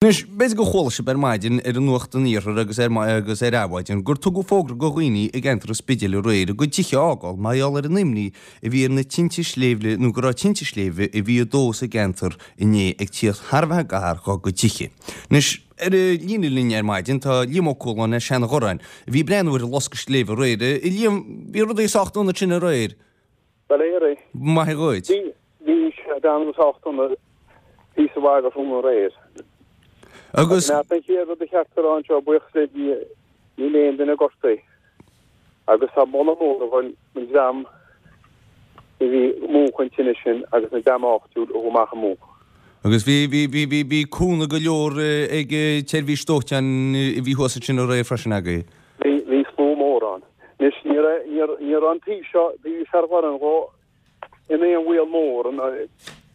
Anois, b'fhéidir gur chuala sibh ar maidin ar an Nuacht an Iarthair agus ar agus ar Adhmhaidin gur tugadh fógra go dhaoine i gceantar an Spidéil aréir a gcuid tithe a fhágáil mar gheall ar an imní a bhí ar na tinte sléibhe nó go raibh tinte sléibhe a bhí ag dó sa gceantar inné ag tíocht thar a bheith gar dhá gcuid tithe. Anois, ar an líne linn ar maidin tá Liam Ó Cualáin as Seanadh Ghorráin a bhí ag breathnú ar an loscadh sléibhe aréir. A Liam, bhí rudaí sách dona ansin aréir. Bail ó Dhia ort. Maith dhuit. Bhí, bhí sé breathnú sách dona píosa mhaith go tráthnóna aréir. Agus. Ach an chéad rud a cheart a rá anseo, buíochas le Dia, níl aon duine gortaithe. Agus tá moladh mór ag dul don dream a bhí ag múchadh an tine sin agus an dream áitiúil a chuaigh amach ag múchadh. Agus bhí, bhí, bhí, bhí, bhí cúnamh go leor ag an tseirbhís dóiteáin a bhí thuas ansin aréir freisin agaibh. Bhí, bhí slua mór ann. Anois, ní raibh, ní raibh, ní raibh an taobh seo, taobh Sheanadh Ghorráin dhó in aon bhaol mór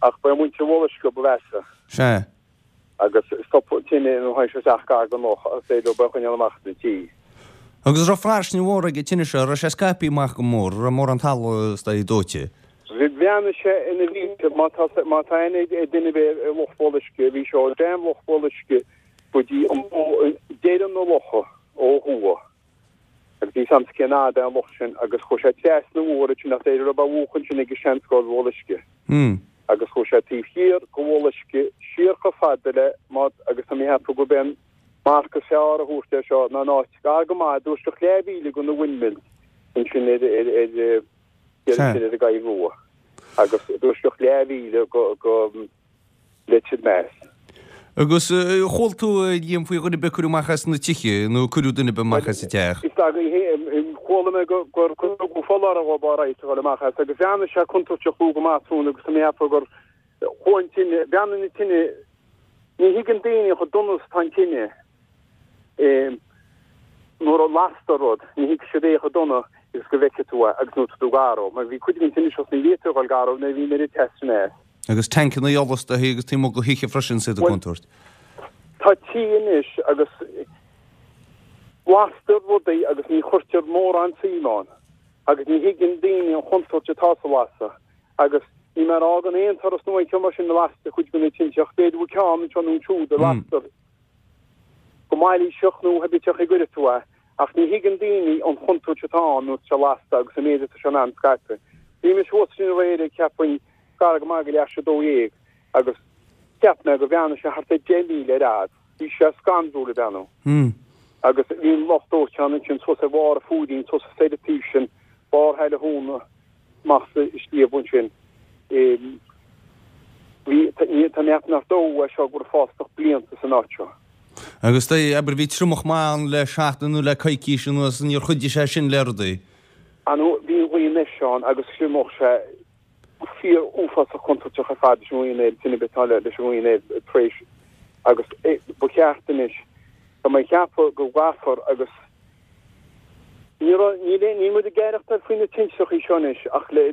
ach ba é muintir Bhéal Uisce ba mheasa. Sea. Agus stop an tine nuair a tháinig sé isteach gar don loch agus b'fhéidir leo é a choinneáil amach as na tithe. Agus raibh fairsinge mhór ag an tine seo, raibh sé scaipthe amach go mór, raibh mórán talamh istigh dóite. Bhreathnaigh sé ina mhílte, má tá, má tá aithne ag duine ar bith ar Loch Bhéal Uisce, bhí sé ó dhroim Loch Bhéal Uisce go dtí an deireadh na locha ó thuaidh. Agus níl a fhios a'msa cén fhad é an loch sin agus chuaigh sé trasna an bhóthair ansin nach deireadh raibh á mhúchadh ansin ag an seanscoil Bhéal Uisce. Agus chuaigh sé taobh thiar go Bhéal Uisce siar chomh fada le má agus tá mé ag ceapadh gurb é an marc is fearr a thabhairt air seo ná an áit gar go maith i dtuaisceart leathmhíle go na windmills ansin ar ar ar ar ar an gCoill Rua agus i dtuaisceart leathmhíle go go Leitir Meas. Agus chuala tú, a Liam, faoi dhuine ar bith a cuireadh amach as na tithe, nó cuireadh duine ar bith amach as an teach? Is dóigh, chuala mé gur tugadh foláireamh dhóibh áirithe a dhul amach as, agus bhreathnaigh sé contúirteach luath go maith tráthnóna agus tá mé ag ceapadh gur chuaigh an tine, bhreathnaigh na tine, ní thuigeann daoine chomh dona is atá an tine. Nuair a lastar rud, ní thuigfidh siad é chomh dona agus go bhfeicfidh tú é agus nuair atá tú gar dó. Mar bhí cuid den tine seo is ní bhféadfaí a dhul gar dó nuair a bhí an oiread teas sin as. Agus tancanna ola istigh agus taobh amuigh de thithe freisin is iad i gcontúirt. Tá tithe anois agus lastar rudaí agus ní chuirtear mórán suim ann agus ní thuigeann daoine an chontúirt atá sa lasadh agus níl mé ag rá gan aon turas nó aon cheo mar sin a lastar cuid de na tinte ach b'fhéidir go bhfuil ceann anseo nó ansiúd a lastar go mailíseach nó pé ar bith cén chaoi a gcuirfidh tú é, ach ní thuigeann daoine an chontúirt atá ann nuair atá sé lasta agus an méid atá sé in ann scaipeadh. Bhí mise thuas ansin aréir ag cheapfainn gar go maith go leath théis 12 agus cheap mé go bhreathnaigh sé thart ar 10 míle ar fhad. Bhí sé scanrúil ag breathnú. Agus bhí an lucht dóiteáin ansin suas ar bharr an Phúirín, suas ar an taobh sin, barr Shaile Thúna, amach sa sliabh ansin. Bhí, tá mé ag ceapadh nach dóigh é seo go raibh fástach blianta san áit seo. Agus dóigh, abair, bhí triomach maith ann le seachtain nó le coicís anuas, níor chuidigh sé sin le rudaí? Ar ndóigh, bhí an ghaoth anois ann agus thriomaigh sé fíor uafásach contúirteach ar fad leis an ngaoth anoir, tine atá leis an ngaoth anoir tar éis agus ba cheart anois, tá mé ag ceapadh go gcaithfear agus Ní raibh, níl aon, níl muid ag aireachtáil faoi na tintreachaí seo anois ach le,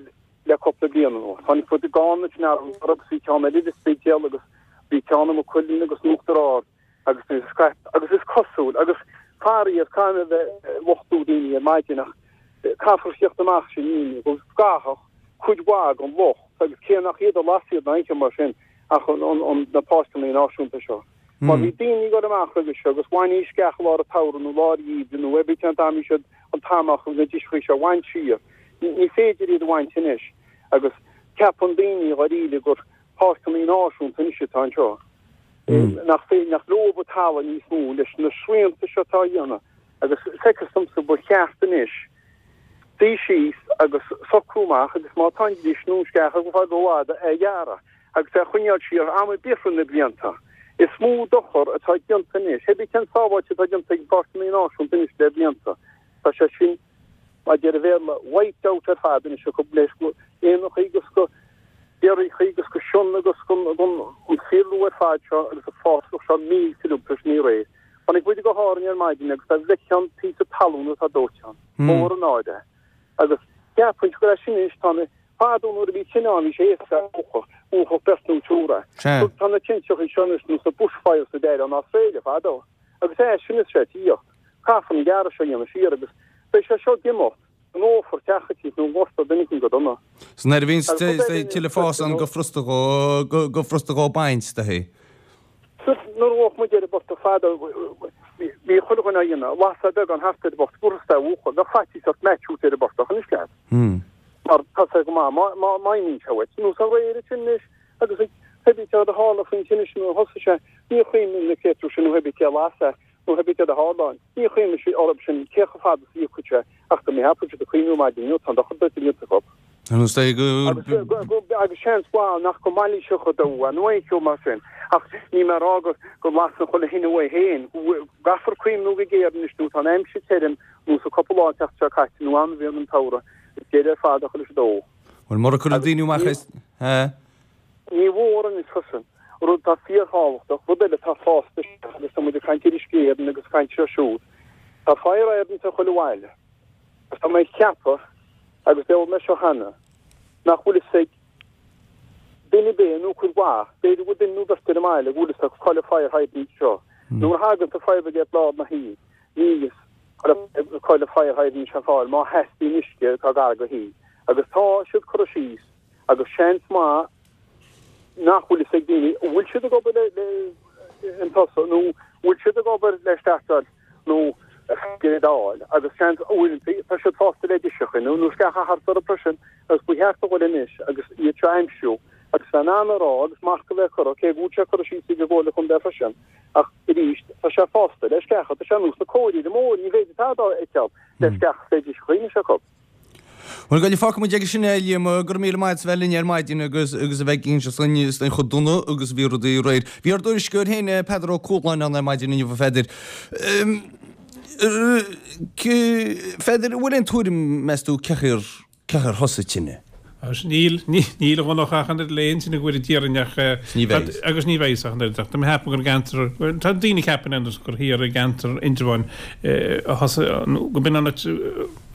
le cúpla bliain anuas. Tháinig muid i gCarna ansin anuraidh agus bhí ceann eile i Spidéal agus bhí ceann i Maigh Cuilinn agus in Uachtar Ard agus bhí scaip, agus is cosúil, agus faraor, caithfidh mé a bheith ag lochtú daoine ar maidin ach caithfear theacht amach sin daoine go gcaithfeadh cuid mhaith den locht agus cé nach iad a las iad ná aon cheo mar sin ach an, an, an, na páirceanna náisiúnta seo. Mar bhí daoine ag dul amach roimhe seo agus bhainidís sceach i lár an tsamhraidh nó lár an gheimhridh nó ar bith cén t-am a bhí siad an t-am acu na driseachaí seo a bhaint siar. Ní féidir iad a bhaint anois agus ceapann daoine dháiríre gur páirceanna náisiúnta anois atá anseo. Nach féidir, nach leo an talamh níos mó leis na srianta seo atá á dhéanamh agus feictear domsa ba cheart anois suí síos agus socrú amach agus má tá an dris nó an sceach ag fáil rófhada é a ghearradh. agus é a choinneáil siar am ar bith thar na blianta. Is mó dochar atá déanta anois, pé ar bith cén sábháilte atá déanta ag páirceanna náisiúnta anois le blianta, tá sé sin, mar a deir an Bhéarla, wiped out ar fad anois acu leis go éanachaí agus go béarachaí agus go sionna agus gon an fiadhúlra ar fad seo agus an fásach seo millte uilig tar éis an aoir. Tháinig muid go hÁrainn ar maidin agus dá bhfeicfeá an píosa talún atá dóite ann. Mór an náire. Agus cheapfainnse go raibh sin anois, tá na. Fadó nuair a bhí tine ann bhí sé éasca a mhúchadh, mhúchfadh beirt nó triúr é. Tá na tintreachaí seo anois nós na bushfires a deir an Astráile fadó. Agus é sin is sé tíocht. Caithfear an gearradh seo a dhéanamh siar agus beidh sé seo ag imeacht, go ndófar teach eicínt nó gortófar duine eicínt go dona. 'S nuair a bhíonns tuilleadh fás ann gur furasta dhó, gur furasta dhó baint, do hé. Nuair a bhíodh muid ar an bportach fadó, bhí chuile dhuine á dhéanamh, lasadh beagán thart ar an bportach, fuarthas é a mhúchadh, bheadh faitíos ort match a thabhairt ar an bportach anois leat. Mar tá sé go maith má imíonn sé uait. Nós aréir ansin anois agus ag pé bith céard a tharla faoin tine sin nuair a thosaigh sé, níor chuimhnigh na créatúir sin nó pé bith cé a las é nó pé bith céard a tharla ann, níor chuimhnigh siad orthu sin cé chomh fada is a íocfadh sé ach go mbeadh siad ag cuimhniú maidin inniu, tá an dochar déanta acu. Agus é go. Agus seans mhaith nach go mailíseach a dódh é nó aon cheo mar sin. Ach níl mé ag rá go lasann chuile thine uaidh féin. Caithfear cuimhniú go géar anois nó tá an aimsir tirim nó sa cúpla lá an tseachtain seo caite nó am a bhíonn an tsamhradh is deireadh ar fad a chur leis an dó. Bhuel, mura gcuirfidh daoine amach é. Ní mhór anois freisin, rud atá fíorthábhachtach, rud eile atá fásta isteach agus tá muid ag caint ar Uisce Éireann agus ag caint seo siúd. Tá fire hydrants ar chuile bhaile. Agus tá mé ag ceapadh, agus deir mé seo cheana, nach bhfuil fhios ag duine ar bith nó cuid mhaith, b'fhéidir go bhfuil duine nó beirt ar an mbaile go bhfuil fhios acu cá bhfuil fire hydrant seo. Nuair a thagann an fire brigade lár na hoíche, níl fhios cá bhfuil an fire hydrant seo fáil má theastaíonn uisce atá gar do thí. Agus tá siad curtha síos agus seans maith nach bhfuil fhios ag daoine an bhfuil siad ag obair le an tusa nó bhfuil siad ag obair le startáil nó a fháil agus seans uaireanta tá siad fásta le driseacha nó nó sceacha thart orthu freisin agus ba cheart a dhul anois agus iad seo a aimsiú agus bheith in ann a rá agus marc a bheith curtha cé go bhfuil sé curtha síos ag an gComhairle Chontae freisin ach arís tá sé fásta le sceacha tá sé ar nós na cóirí mór ní féidir tada a fheiceáil le sceacha le driseacha anois acu. Bhuel, go fágfaidh muid aige sin é, a Liam, go raibh míle maith agat as bheith linn ar maidin agus agus a bheith ag inse dúinn faoin chomh dona agus a bhí rudaí aréir. Bhí ár dtuairisceoir féin, Peadar Ó Cualáin ann ar maidin inniu, a Pheadair. Pheadair, an bhfuil aon tuairim, meas tú, cén chaoi ar, cén chaoi ar thosaigh tine? Agus níl, níl a Dhonncha ach an oiread le aon tine go bhfuil Dia orainn ach, Ní bheidh. agus ní bheidh ach an oiread ach tá mé ag ceapadh gur i gceantar, tá daoine ag ceapadh anois gur thiar i gceantar Indreabháin a thosaigh, nó go b'in an áit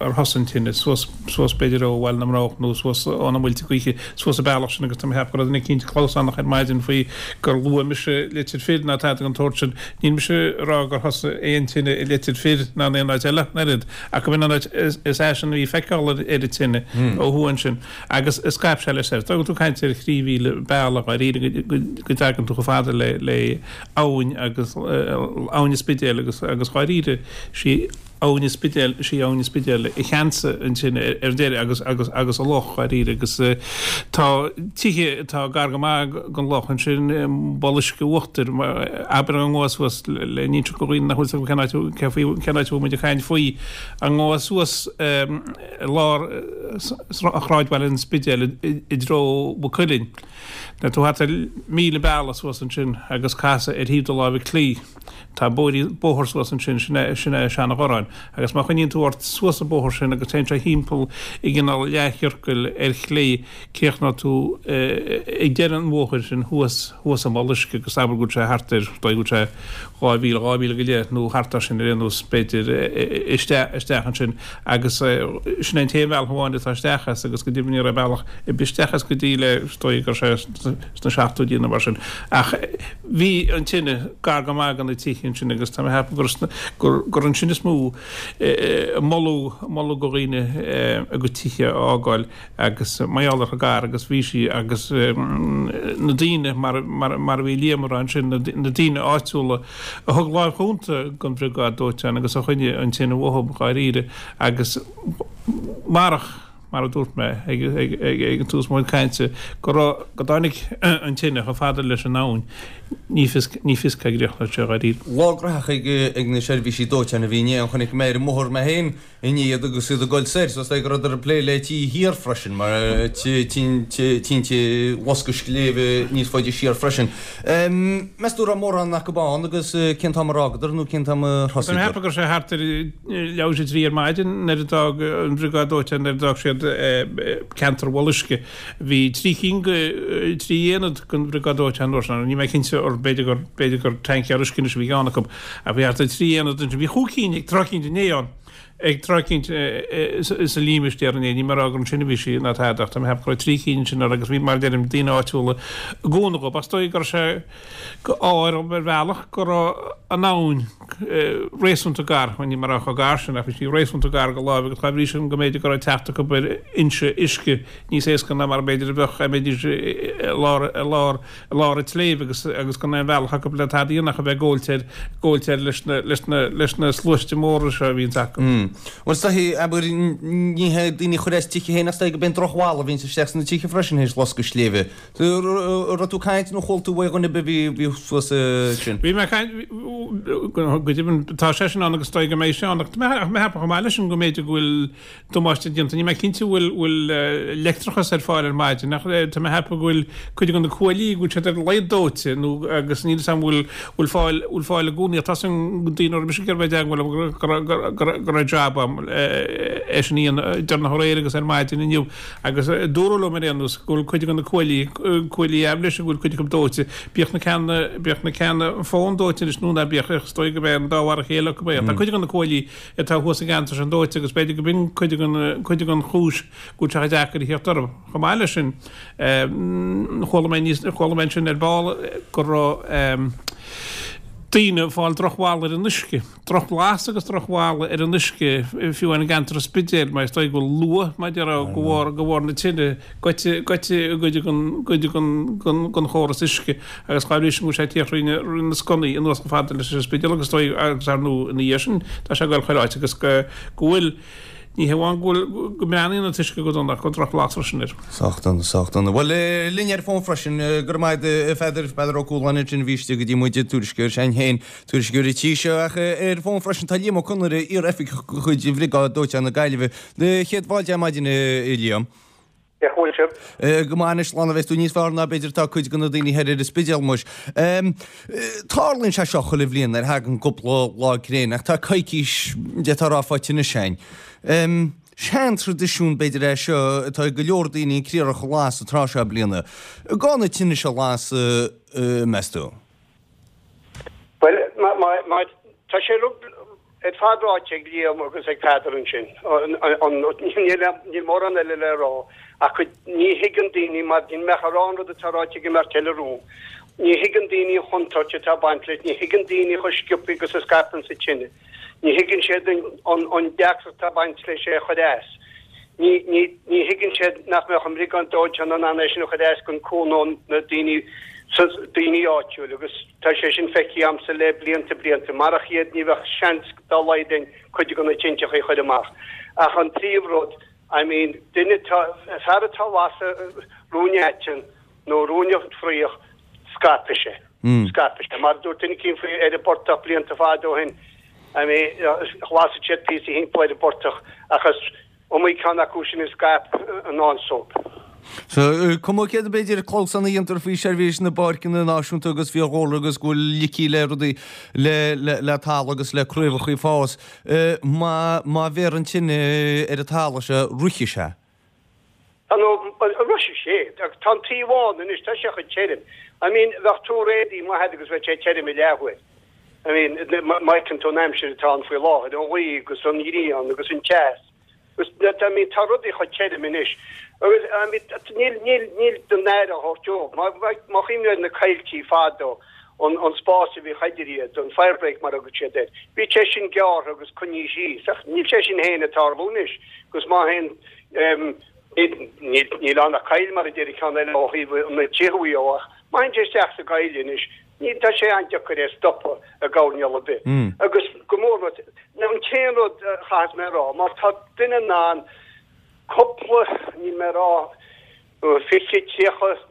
ar thosaigh an tine, suas, suas b'fhéidir ó Bhaile na mBroghach nó suas ó na Muilte Gaoithe, suas an bealach sin agus tá mé ag ceapadh go raibh duine eicínt clamhsánach ar maidin faoi gur luaigh mise Leitir Fir ná tada den tsórt sin. Níl mise ag rá gur thosaigh aon tine i Leitir Fir ná in aon áit eile ach an oiread, ach go b'in an áit is aise a bhí feiceáil ar an tine ó thuaidh ansin agus scaip sé leis soir. Tá tú ag caint ar thrí mhíle bealaigh dháiríre go dtagann tú chomh fada le le abhainn agus abhainn an Spidéil agus agus dháiríre sí Abhainn an Spidéil, is í Abhainn an Spidéil a cheansaigh an tine ar deireadh agus, agus, agus an loch, dháiríre, agus tá tithe atá gar go maith don loch ansin, Bol Uisce Uachtair, abair dá ngabhfá suas le n-inseacht do dhaoine nach bhfuil 'fhios acu cén áit, cé faoi, cén áit a bhfuil muid ag caint faoi, dá ngabhfá suas i lár shráidbhaile an Spidéil i dtreo Mhaigh Cuilinn. Nuair tú thart ar mhíle bealaigh suas ansin agus casadh ar thaobh do láimhe clí. Tá bóthar suas ansin, sin é, sin é Seanadh-Ghorráin. Agus má choinníonn tú ort suas an bóthar sin agus téann sé thimpeall i gcineál leathchiorcail ar chlé, críochnóidh tú ag deireadh an bhóthair sin thuas, thuas i mbol uisce agus abair go bhfuil sé thart ar, dóigh go bhfuil sé 2 mhíle, 2 mhíle go leith nó thart ar sin ar aon nós b'fhéidir, isteach, isteach ansin agus sin é an t-aon bhealach amháin atá isteach as agus go deimhin ní raibh bealach ar bith isteach as go dtí le, is dóigh go raibh sé sna seachtóidí nó mar sin. Ach. Bhí an tine gar go maith do na tithe ansin agus tá mé ag ceapadh gur gur ansin is mó a moladh moladh do dhaoine a gcuid tithe a fhágáil agus mar gheall ar chomh gar agus bhí sí agus na daoine mar mar mar a bhí Liam a rá ansin na na daoine áitiúla a thug láimh chúnta don bhriogáid dóiteáin agus a choinnigh an tine uathu dháiríre agus marach mar a dúirt mé ag an tús mo chuid cainte, go raibh, go dtáinig an tine chomh fada leis an abhainn, ní fios, ní fios cá gcríochnódh sé dháiríre. Lá graitheach ag na seirbhísí dóiteáin a bhí inné, an chonaic mé ar an mbóthar mé féin inné iad agus iad ag dul soir, so is dóigh go rabhadar ag plé le tithe thiar freisin, mar tinte loscadh sléibhe níos faide siar freisin. Meas tú raibh mórán acu ann agus cén t-am ar fhágadar nó cén t-am ar Tá mé ag thosaíodar? ceapadh go raibh sé thart ar leathuair tar éis a trí ar maidin nuair a d'fhág an bhriogáid dóiteáin nuair a d'fhág siad ceantar Bhol Uisce. Bhí trí cinn de, trí aonad den bhriogáid dóiteáin an uair sin, níl mé cinnte or b'fhéidir gur, b'fhéidir gur tancaeir uisce anois a bhí ceann acu, ach bhí thart ar trí aonad ansin. Bhí chúig cinn ag tráth eicínt inné ann, ag tráth eicínt sa límistéar inné, níl mé ag rá gur ansin a bhí sí ná tada ach tá mé ag ceapadh go raibh trí cinn ansin or agus bhí, mar a deirim, daoine áitiúla ag cúnamh dhóibh. Ach is dóigh go raibh sé go ádh ar bhealach go raibh an abhainn. réasúnta gar, bhuel ní mar chomh gar sin ach bhí sí réasúnta gar go láimh agus dá bhrí sin go mb'fhéidir go raibh teacht acu ar fhoinse uisce níos éasca ná mar b'fhéidir a bheadh dá mbeidís i lár, i lár, i lár an tsléibhe agus, agus gan aon bhealach acu le tada a dhéanamh ach a bheith ag góilt air, góilt air leis na, leis na, leis na sluaiste móra seo a bhíonns acu. Bhuel is dóichí, abair, ní hé daoine a chur as tithe féin ach is dóichí go b'é an drochbholadh a bhíonns isteach sna tithe freisin théis loscadh sléibhe. An raibh tú ag caint nó chuala tú uaidh dhuine ar bith a bhí thuas ansin? Bhí mé ag caint, go deimhin, tá sé sin ann agus is dóigh go mbeidh sé ann ach tá mé ag ceapadh chomh maith leis sin go mb'fhéidir go bhfuil damáiste déanta. Níl mé cinnte an bhfuil bhfuil leictreachas ar fáil ar maidin ach tá mé ag ceapadh go bhfuil cuid de na cuaillí go bhfuil siad ar a laghad dóite nó agus níl 'fhios a'm bhfuil bhfuil fáil bhfuil fáil i gcónaí ach tá san daoine a raibh mise ag iarraidh bheith i dteagmháil leo go raibh go raibh go raibh jab a'm é sin a dhéanamh deireanach aréir agus ar maidin inniu. Agus dúradh liom ar aon nós go bhfuil cuid de na cuaillí, cuaillí aibhléise, go bhfuil cuid acu dóite. Bíodh na ceanna, bíodh na ceanna fóin dóite anois nó ná bíodh, is dóigh go b'é an dá mhar a chéile acu é. Tá cuid de na cuaillí atá thuas sa gceantar sin dóite agus b'fhéidir go b'in cuid den, cuid den chúis go bhfuil sé chomh deacair a theacht orthu. Chomh maith leis sin, chuala mé níos, chuala mé ansin ar ball go raibh daoine ag fáil drochbholadh ar an uisce. Drochbhlas agus drochbholadh ar an uisce, fiú amháin i gceantar an Spidéil, mar is dóigh go bhfuil luaith, mar a déarfá, de bharr, de bharr na tine, goite, goite i gcuid den, gcuid den, den, den chóras uisce agus dá bhrí sin go bhfuil sé ag tíocht thrí na, thrí na sconnaí anuas chomh fada leis an Spidéal agus is dóigh, agus ar ndóigh ina dhiaidh sin tá sé ag dul chuile áit agus go, go bhfuil, ní hé amháin go bhfuil, go mbreathnaíonn an t-uisce go dona ach go bhfuil drochbhlas freisin air. Sách dona, sách dona. Bhuel, linn ar fón freisin, go raibh maith agat a Pheadair, Peadar Ó Cualáin ansin a bhí istigh go dtí muid ag tuairisceoir s'againn féin, Tuairisceoir an tí seo ach ar fón freisin tá Liam Ó Conaire, iar-oifigeach de chuid Bhriogáid Dóiteáin na Gaillimhe. Céad fáilte ar maidin a Liam. Cén chaoi a bhfuil sibh? Go maith anois, slán a bheas tú níos fearr ná b'fhéidir atá cuid de na daoine thoir ar an Spidéal muis. Tarlaíonn sé seo chuile bhliain nuair a thagann cúpla lá gréine ach tá coicís d'fhéadfá a rá faighte anois againn. Sean-traidisiún b'fhéidir é seo atá ag go leor daoine an criathrach a lasadh an tráth seo bliana. Gá na tine seo a lasadh meas tú? Bhuel, tá sé ar fad ráite ag Liam agus ag Peadar ansin. Níl mórán eile le rá ach ní thuigeann daoine, mar níl mé ach ag rá an rud atá ráite ag an mbeirt eile romham, ní thuigeann daoine an chontúirt atá ag baint leis, ní thuigeann daoine chomh sciobtha agus a scaipeann sa tine. Ní thuigeann siad an deacracht atá ag baint leis é a chur as. Ní thuigeann siad nach mbeadh an mbriogáid dóiteáin in ann é sin a chur as gan cúnamh na daoine, daoine áitiúil agus tá sé sin feicthe a'msa le blianta blianta. Marach iad ní bheadh seans dá laghad a'inn cuid de na tinteachaí a chur amach. Ach an príomh rud, I mean, duine atá, fear atá ag lasadh ruainne aiteann nó ruainne fraoch, scaipfidh sé. Scaipfidh sé. Mar a dúirt duine eicínt faoi ar an bportach blianta fada ó shin, I mean, lasadh siad píosa thimpeall ar an bportach ach is iomaí ceann acu sin a scaip i ndán dóibh. So, cuma céard b'fhéidir clamhsán a dhéantar faoi seirbhís na bpáirceanna náisiúnta agus fiadhúlra agus go bhfuil licí le rudaí le, le, le talamh agus le craobhacha ag fás, má, má bhéarr an tine ar an talamh seo, rithfidh sé. Tá nó, rithfidh sé. Tá an taobh ann anois, tá sé chomh tirim. I mean, bheadh tuar éadaí maith agat agus bheadh sé tirim i leathuair. I mean, má fheiceann tú an aimsir atá ann faoi láthair, an ghaoth agus an ghrian agus an teas. Agus, I mean, tá rudaí chomh tirim anois. Agus, I mean, níl, níl, níl don aire a thabhairt dóibh. Má, má chuimhníonn ar na coilltí fadó, an, an spás a bhíodh idir iad, an firebreak mar a thugadh siad air, bhí sé sin gearrtha agus coinnithe síos. Ach níl sé sin féin ag tarlú anois. Agus má théann, Níl ann ach coill, mar a deir an ceann eile ó thaobh na tithe dhó, ach má théann sé isteach sa gcoill anois, ní, tá sé an-deacair é a stopadh i gcoirnéal ar bith. Agus go mór mór, an t-aon rud a chaithfeas mé a rá, má tá duine in ann cúpla, níl mé a rá, 20, 30,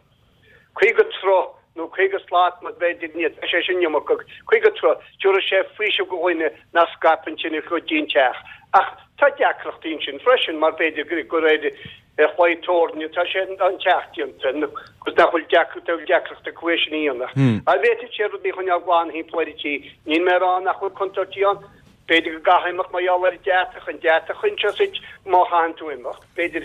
50 troigh nó 50 slat mar b'fhéidir, ní, tá sé sin iomarcach, 50 troigh, tabharfaidh sé faoiseamh do dhuine nach scaipeann tine go dtí an teach. Ach tá deacrachtaí ansin freisin mar b'fhéidir gur ar chlaí tabhairne atá sé an teach déanta agus nach bhfuil deacracht, bhfuil deacracht acu é sin a dhéanamh. Ach bhféadfadh sé rudaí a choinneáil glan thimpeall ar an tí. Níl mé ag rá nach bhfuil contúirtí ann. B'fhéidir go gcaithfeá imeacht mar gheall ar an deatach, an deatach anseo duit má chaitheann tú imeacht, b'fhéidir,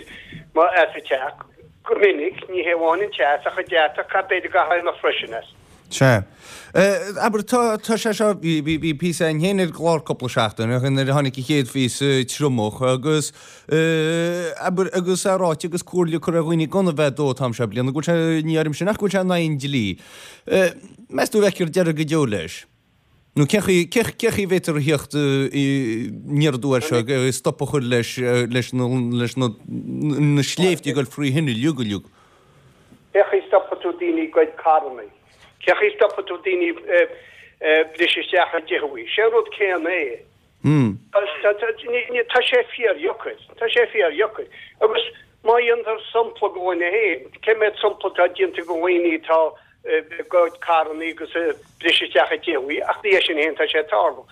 as an teach. Go minic, ní hé amháin an teas ach an deatach, b'fhéidir go gcaithfeá imeacht freisin as. Sea. Abair, tá, tá sé seo, bhí, bhí, bhí píosa againn féin ar an gclár cúpla seachtain ó shin nuair a tháinig an chéad phíosa triomach agus, abair, agus é ráite agus comhairle curtha ar dhaoine gan a bheith ag dó an t-am seo bliana, go bhfuil sé, ní áirím sin ach go bhfuil sé in aghaidh an dlí. Meas tú an bhfeicfear deireadh go deo leis? Nó cén chaoi, cén chaoi a bhféadfar a theacht aniar aduaidh air seo, stop a chur leis, leis na, leis na, na sléibhte ag dul frí thine uilig uilig? Cén chaoi a stopfaidh tú daoine ag goid carrannaí? Cén chaoi a stopfaidh tú daoine ag briseadh isteach i dtithe? Sé an rud céanna é. Tá sé fíordheacair. Tá sé fíordheacair. Agus má dhéantar sampla de dhuine féin, cé mhéad sampla atá déanta de dhaoine atá ag goid carrannaí agus ag briseadh isteach i dtithe, ach ní é sin féin tá sé ag tarlú.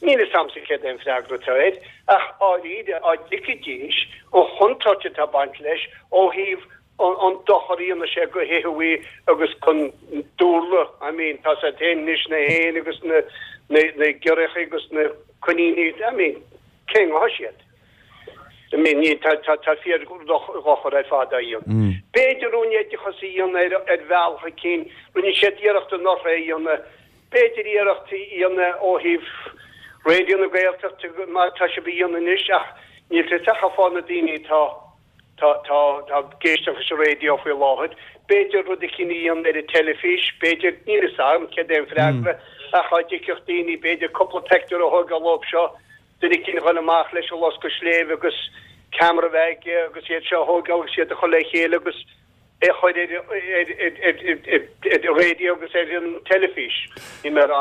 Níl fhios a'msa céard é an freagra atá air, ach dháiríre, dá dtuigfidís an chontúirt atá ag baint leis ó thaobh an dochar a dhéanann sé go thithe agus gon dúlra, I mean, tá siad féin anois, na héin agus na na giorriacha agus na coiníní, I mean, cén ghabhfaidh siad? I mean, ní, tá, tá, tá fíor-dhochar ar fad á dhéanamh. B'fhéidir rún oideachas a dhéanamh ar, ar bhealach eicínt, rinne siad iarracht anuraidh é a dhéanamh, b'fhéidir iarracht a dhéanamh ó thaobh Raidió na Gaeltachta mar tá sibh a dhéanamh anois ach níl fhios ach fá na daoine atá, tá, tá, tá ag éisteacht leis an raidió faoi láthair. B'fhéidir rud eicínt a dhéanamh ar an teilifís, b'fhéidir, níl fhios agam céard é an freagra ach dá dtuigfeadh daoine, b'fhéidir cúpla peictiúr a thógáil dóibh seo, duine eicínt a dhul amach leis an loscadh sléibhe agus ceamara a bheith aige agus iad seo a thógáil agus iad a chur le chéile agus é a chur ar an raidió agus ar an teilifís. Níl mé a rá,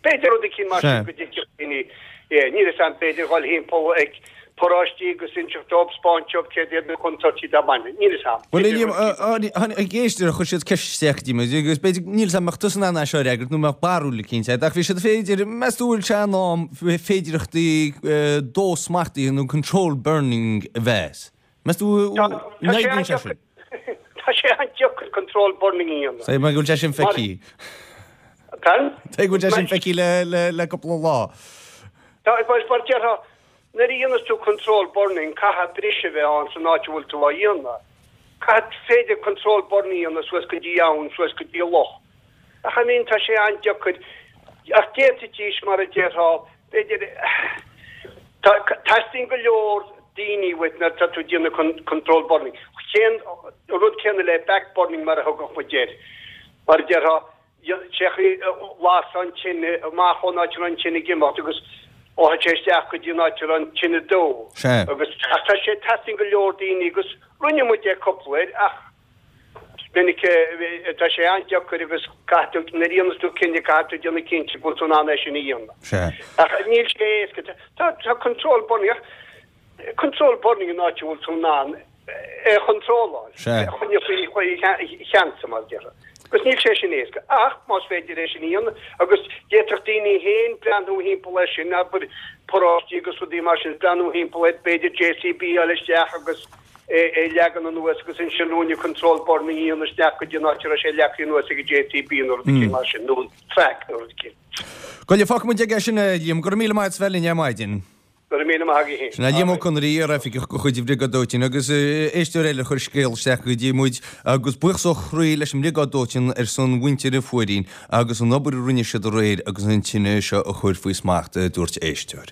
b'fhéidir rud eicínt mar sin go dtuigfeadh daoine é. Níl fhios a'm, b'fhéidir dhul thimpeall ag paróistí agus inseacht dóibh, 'spáint dóibh céard iad na contúirtí dá mbaineann. Níl fhios a'm. Bhuel, a Liam, tháinig éisteoir, chuir siad ceist isteach go dtí muid agus b'fhéidir, níl fhios a'm, mbeadh tusa in ann é seo a fhreagairt nó mbeadh barúil eicínt agat, ach bhí siad féidir, meas tú bhfuil sé in am féidireachtaí dó smachtaithe nó controlled burning a mheas? Meas tú an oibríonn sé sin? Tá sé an-deacair controlled burning a dhéanamh. Tuigim go bhfuil sé sin feicthe. Pardon? Tuigim go bhfuil sé sin feicthe le cúpla lá. Tá, mar déarfá, Nuair a dhéanas tú controlled burning caithfidh briseadh a bheith ann san áit a bhfuil tú á dhéanamh. Caithfidh féidir controlled burning a dhéanamh suas go dtí abhainn, suas go dtí loch. Ach I mean tá sé an-deacair. Ach d'fhéadfaidís mar a déarfá, b'fhéidir, tá, teastaíonn go leor daoine uait nuair atá tú ag déanamh controlled burning. Cén, an rud céanna le back burning mar a thugadh muid air. Mar a déarfá, Sé chaoi las an tine amach ón áit a raibh an tine ag imeacht agus chuaigh sé isteach go dtí an áit a raibh an tine ag dó. Sea. Agus ach tá sé teastaíonn go leor daoine agus rinne muid é cúpla uair ach is minic tá sé an-deacair agus caithfidh tú nuair a dhéanas tú cinneadh caithfidh tú déanamh cinnte go bhfuil tú in ann é sin a dhéanamh. Sea. Ach níl sé éasca. Tá tá controlled burning ach controlled burning in áit a bhfuil tú in ann é a chontróláil, é a choinneáil faoi cheansa, mar a déarfá. Agus níl sé sin éasca. Ach más féidir é sin a dhéanamh, agus d'fhéadfadh daoine féin breathnú thimpeall air sin, abair, paróistí agus rudaí mar sin, breathnú thimpeall air, b'fhéidir JCB a fháil isteach agus é a leagan anuas agus ansin ruainne controlled burning a dhéanamh isteach go dtí an áit a raibh sé leagtha anuas ag an JCB nó rud eicínt mar sin, nó an traic nó rud eicínt. Go leor, fágfaidh muid aige sin é, Liam. Go raibh míle maith agat as bheith linn ar maidin. Go raibh míle maith agaibh féin. Sin é Liam Ó Conaire, iar-oifigeach de chuid an Bhriogáid Dóiteáin agus éisteoir eile a chuir scéal isteach go dtí muid agus buíochas ó chroí leis an mBriogáid Dóiteáin ar son mhuintir an Phuairín agus an obair a rinne siad aréir agus an tine seo a chur faoi smacht, a dúirt éisteoir.